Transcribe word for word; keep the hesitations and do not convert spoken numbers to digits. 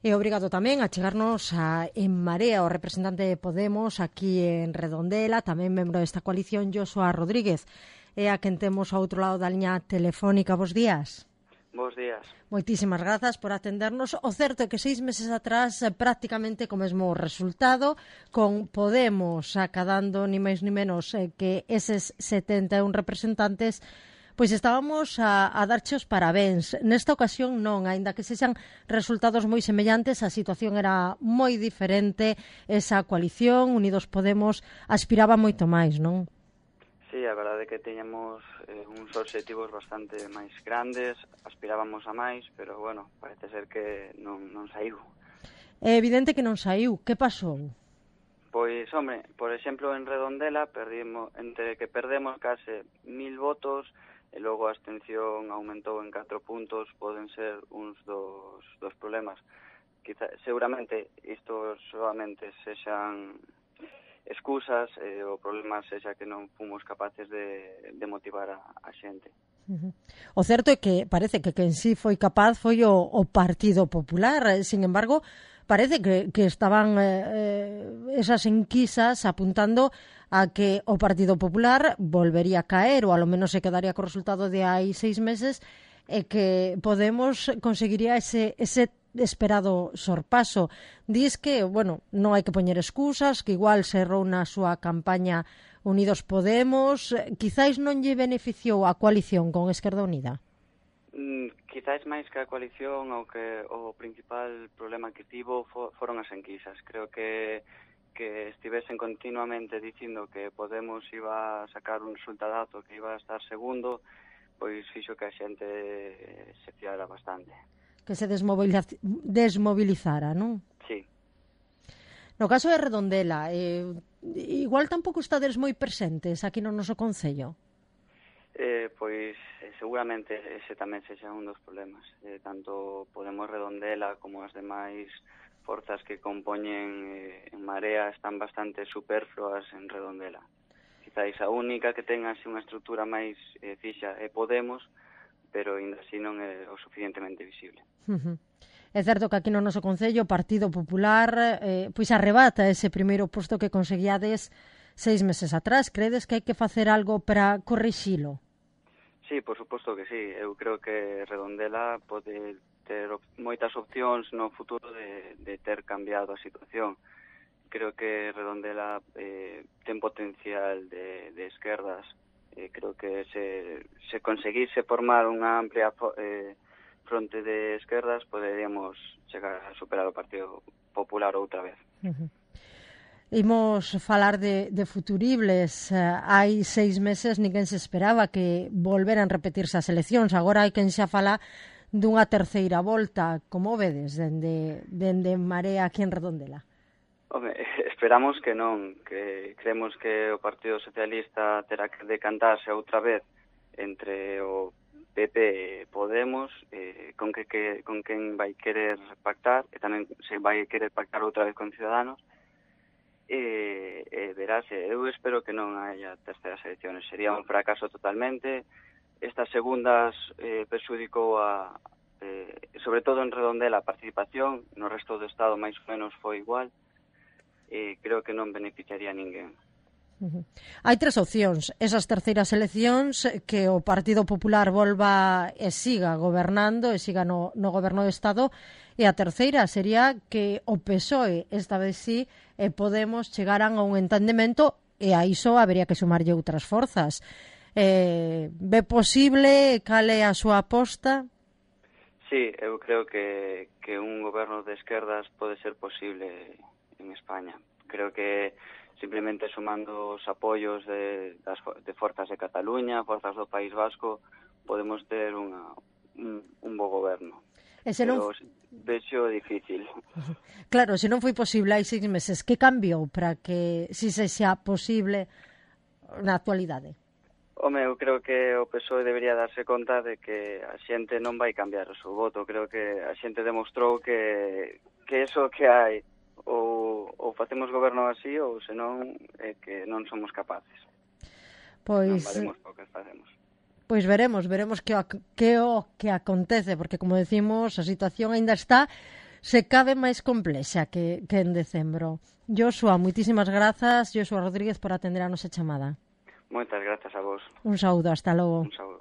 E obrigado tamén a chegarnos a En Marea, o representante de Podemos aquí en Redondela, tamén membro desta coalición, Joshua Rodríguez. E a quen temos ao outro lado da liña telefónica. Bos días. Bos días. Moitísimas grazas por atendernos. O certo é que seis meses atrás, prácticamente co mesmo resultado, con Podemos acadando ni máis ni menos eh, que eses setenta e un representantes, pois estábamos a, a darche os parabéns. Nesta ocasión non, aínda que sexan resultados moi semellantes, a situación era moi diferente. Esa coalición, Unidos Podemos, aspiraba moito máis, non? Sí, a verdade é que teñamos eh, uns obxectivos bastante máis grandes, aspirábamos a máis, pero, bueno, parece ser que non, non saiu. É evidente que non saiu. Que pasou? Pois, home, por exemplo, en Redondela, perdimos, entre que perdemos case mil votos, e logo a abstención aumentou en catro puntos, poden ser uns dos, dos problemas. Quizá, seguramente isto solamente sexan excusas, e o problema sexa que non fomos capaces de, de motivar a, a xente. Uh-huh. O certo é que parece que quen sí foi capaz foi o, o Partido Popular. Sin embargo, parece que, que estaban eh, esas enquisas apuntando a que o Partido Popular volvería a caer, ou alo menos se quedaría co resultado de hai seis meses, e que Podemos conseguiría ese, ese esperado sorpaso. Dis que, bueno, non hai que poñer excusas, que igual se errou na súa campaña Unidos Podemos. Quizáis non lle beneficiou a coalición con Esquerda Unida? Mm, quizáis máis que a coalición, o que o principal problema que tivo for, foron as enquisas. Creo que que estivesen continuamente dicindo que Podemos iba a sacar un resultadazo, que iba a estar segundo, pois fixo que a xente se fiara bastante. Que se desmoviliz- desmobilizara, non? Sí. No caso de Redondela, eh, igual tampouco estades moi presentes aquí no noso concello. Eh, pois eh, seguramente ese tamén sexa un dos problemas. Eh, tanto Podemos Redondela como as demais forzas que compoñen eh, En Marea están bastante superfluas en Redondela. Quizáis a única que ten así unha estrutura máis eh, fixa é Podemos, pero ainda así non é o suficientemente visible. Uh-huh. É certo que aquí no noso concello o Partido Popular eh, pois arrebata ese primeiro posto que conseguiades seis meses atrás. Credes que hai que facer algo para corrixilo? Sí, por suposto que sí. Eu creo que Redondela pode ter op- moitas opcións no futuro de, de ter cambiado a situación. Creo que Redondela eh, ten potencial de, de esquerdas. Eh, creo que se, se conseguise formar unha amplia eh, fronte de esquerdas, poderíamos chegar a superar o Partido Popular outra vez. Uh-huh. Imos falar de, de futuribles. Uh, hai seis meses ninguén se esperaba que volveran repetirse as eleccións. Agora hai quen xa fala dunha terceira volta. Como vedes dende, dende Marea aquí en Redondela? Home, esperamos que non, que creemos que o Partido Socialista terá que decantarse outra vez entre o P P e Podemos, eh, con que, que con quen vai querer pactar, e tamén se vai querer pactar outra vez con Ciudadanos, e, e verase, eu espero que non haya terceras elecciones, sería un fracaso totalmente. Estas segundas eh, perxudicou a, eh, sobre todo en Redondela, a participación, no resto do Estado máis ou menos foi igual, e creo que non beneficiaría a ninguén. Uh-huh. Hai tres opcións. Esas terceiras eleccións, que o Partido Popular volva e siga gobernando, e siga no, no goberno do Estado, e a terceira sería que o P S O E, esta vez sí, e Podemos chegaran a un entendemento, e a iso habería que sumarlle outras forzas. Eh, ve posible? Cal é a súa aposta? Sí, eu creo que, que un goberno de esquerdas pode ser posible en España. Creo que simplemente sumando os apoios de, das, de forzas de Cataluña, forzas do País Vasco, podemos ter unha, un, un bo goberno. E se non... Pero vexo difícil. Claro, se non foi posible hai seis meses, que cambiou para que si se xa posible na actualidade? Home, eu creo que o P S O E debería darse conta de que a xente non vai cambiar o seu voto. Creo que a xente demostrou que, que eso que hai ou, ou facemos goberno así ou senón é que non somos capaces. Pois... Non valemos o que facemos. Pois veremos, veremos que o que, o que acontece, porque como decimos, a situación aínda está se cabe máis complexa que, que en decembro. Joshua, moitísimas grazas, Joshua Rodríguez, por atender a nosa chamada. Moitas grazas a vos. Un saúdo, hasta logo. Un saúdo.